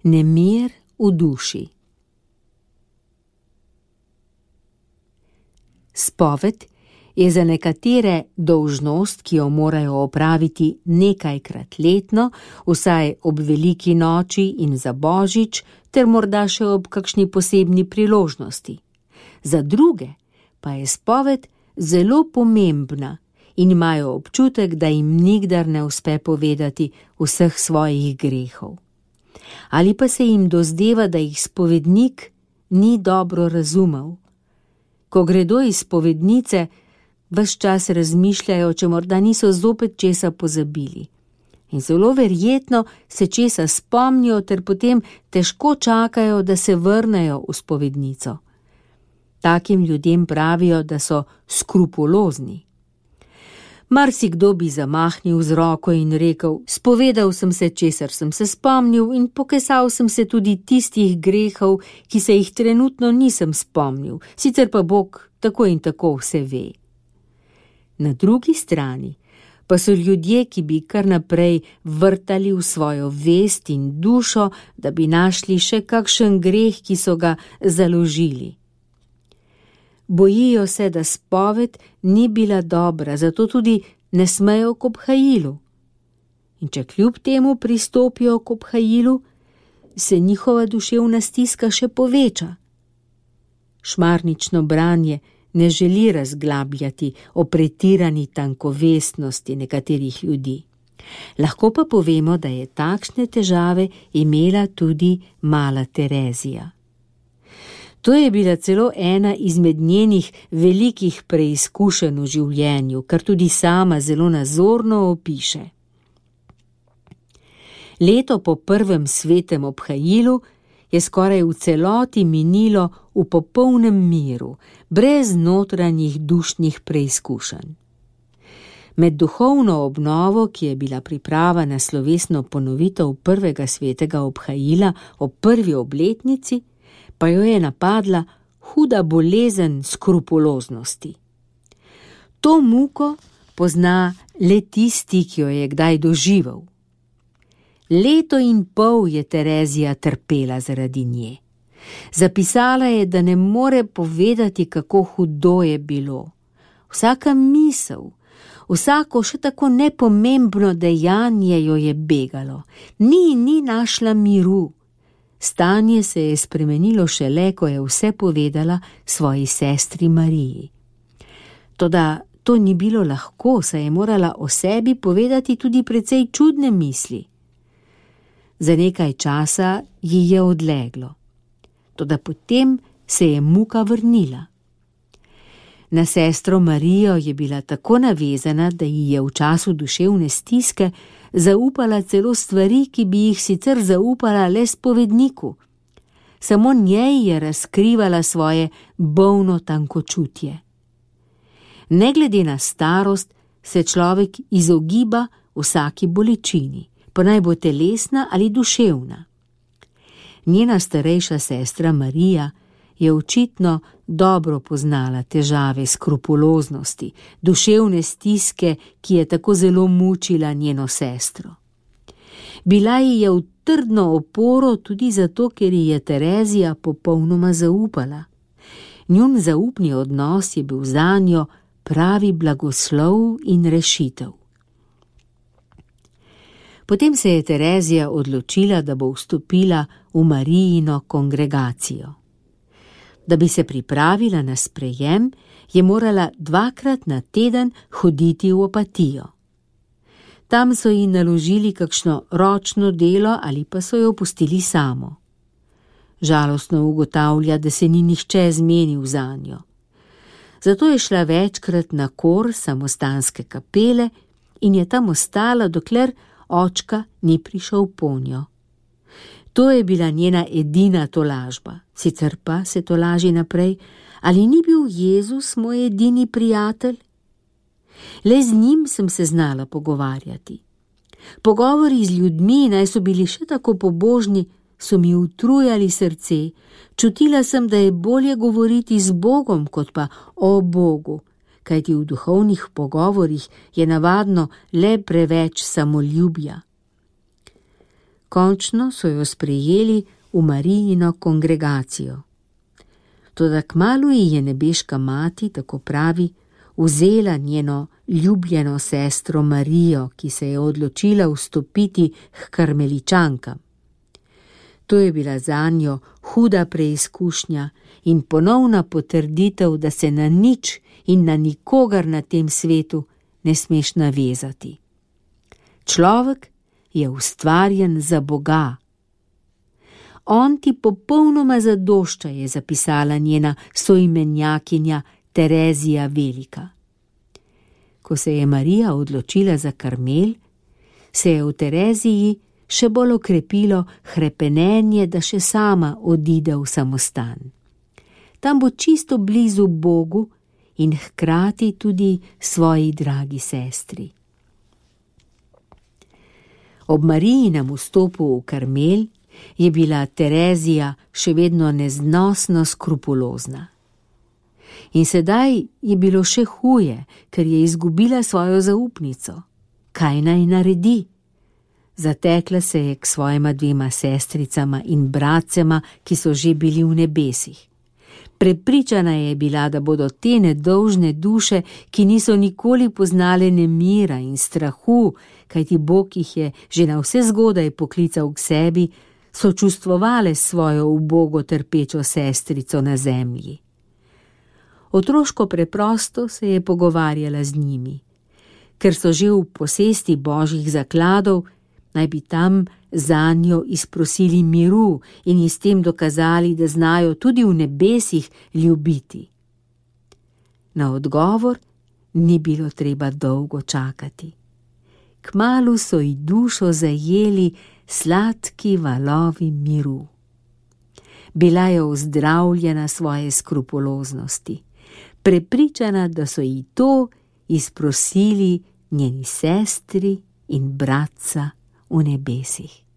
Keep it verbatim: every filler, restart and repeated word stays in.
nemir v duši. Spoved je za nekatere dolžnost, ki jo morajo opraviti nekajkrat letno, vsaj ob veliki noči in za božič, ter morda še ob kakšni posebni priložnosti. Za druge pa je spoved zelo pomembna in imajo občutek, da jim nikdar ne uspe povedati vseh svojih grehov. Ali pa se jim dozdeva, da jih spovednik ni dobro razumel. Ko gredo iz spovednice, ves čas razmišljajo, če morda niso zopet česa pozabili. In zelo verjetno se česa spomnijo ter potem težko čakajo, da se vrnejo v spovednico. Takim ljudem pravijo, da so skrupulozni. Marsikdo bi zamahnil z roko in rekel: spovedal sem se, česar sem se spomnil, in pokesal sem se tudi tistih grehov, ki se jih trenutno nisem spomnil, sicer pa Bog tako in tako vse ve. Na drugi strani pa so ljudje, ki bi kar naprej vrtali v svojo vest in dušo, da bi našli še kakšen greh, ki so ga založili. Bojijo se, da spoved ni bila dobra, zato tudi ne smejo k obhajilu. In če kljub temu pristopijo k obhajilu, se njihova duševna stiska še poveča. Šmarnično branje ne želi razglabljati o pretirani tankovestnosti nekaterih ljudi. Lahko pa povemo, da je takšne težave imela tudi mala Terezija. To je bila celo ena izmed njenih velikih preizkušenj v življenju, kar tudi sama zelo nazorno opiše. Leto po prvem svetem obhajilu je skoraj v celoti minilo v popolnem miru, brez notranjih dušnih preizkušenj. Med duhovno obnovo, ki je bila priprava na slovesno ponovitev prvega svetega obhajila ob prvi obletnici, pa jo je napadla huda bolezen skrupuloznosti. To muko pozna le tisti, ki jo je kdaj doživel. Leto in pol je Terezija trpela zaradi nje. Zapisala je, da ne more povedati, kako hudo je bilo. Vsaka misel, vsako še tako nepomembno dejanje jo je begalo. Ni ni našla miru. Stanje se je spremenilo šele, ko je vse povedala svoji sestri Mariji. Toda to ni bilo lahko, saj je morala o sebi povedati tudi precej čudne misli. Za nekaj časa ji je odleglo, toda potem se je muka vrnila. Na sestro Marijo je bila tako navezana, da ji je v času duševne stiske zaupala celo stvari, ki bi jih sicer zaupala le spovedniku. Samo njej je razkrivala svoje bolno tankočutje. Ne glede na starost se človek izogiba vsaki bolečini, pa naj bo telesna ali duševna. Njena starejša sestra Marija je očitno dobro poznala težave skrupuloznosti, duševne stiske, ki je tako zelo mučila njeno sestro. Bila ji je v trdno oporo tudi zato, ker ji je Terezija popolnoma zaupala. Njun zaupni odnos je bil zanjo pravi blagoslov in rešitev. Potem se je Terezija odločila, da bo vstopila v Marijino kongregacijo. Da bi se pripravila na sprejem, je morala dvakrat na teden hoditi v Opatijo. Tam so ji naložili kakšno ročno delo ali pa so jo pustili samo. Žalostno ugotavlja, da se ni nihče zmenil zanjo. Zato je šla večkrat na kor samostanske kapele in je tam ostala, dokler očka ni prišel ponjo. To je bila njena edina tolažba, sicer pa se tolaži naprej, ali ni bil Jezus moj edini prijatelj? Le z njim sem se znala pogovarjati. Pogovori z ljudmi, naj so bili še tako pobožni, so mi utrujali srce. Čutila sem, da je bolje govoriti z Bogom, kot pa o Bogu, kajti v duhovnih pogovorih je navadno le preveč samoljubja. Končno so jo sprejeli v Marijino kongregacijo. Toda kmalu ji je nebeška mati, tako pravi, vzela njeno ljubljeno sestro Marijo, ki se je odločila vstopiti k karmeličankam. To je bila zanjo huda preizkušnja in ponovna potrditev, da se na nič in na nikogar na tem svetu ne smeš navezati. Človek je ustvarjen za Boga. On ti popolnoma zadošča, je zapisala njena soimenjakinja Terezija Velika. Ko se je Marija odločila za Karmel, se je v Tereziji še bolj okrepilo hrepenenje, da še sama odide v samostan. Tam bo čisto blizu Bogu in hkrati tudi svoji dragi sestri. Ob Marijinem vstopu v Karmel je bila Terezija še vedno neznosno skrupulozna. In sedaj je bilo še huje, ker je izgubila svojo zaupnico. Kaj naj naredi? Zatekla se je k svojima dvema sestricama in bratcema, ki so že bili v nebesih. Prepričana je bila, da bodo te nedolžne duše, ki niso nikoli poznale nemira in strahu, kajti Bog jih je že na vse zgodaj poklical k sebi, sočustvovale s svojo ubogo trpečo sestrico na zemlji. Otroško preprosto se je pogovarjala z njimi. Ker so že v posesti božjih zakladov, naj bi tam zanjo izprosili miru in ji s tem dokazali, da znajo tudi v nebesih ljubiti. Na odgovor ni bilo treba dolgo čakati. Kmalu so ji dušo zajeli sladki valovi miru. Bila je ozdravljena svoje skrupuloznosti, prepričana, da so ji to izprosili njeni sestri in bratca v nebesih.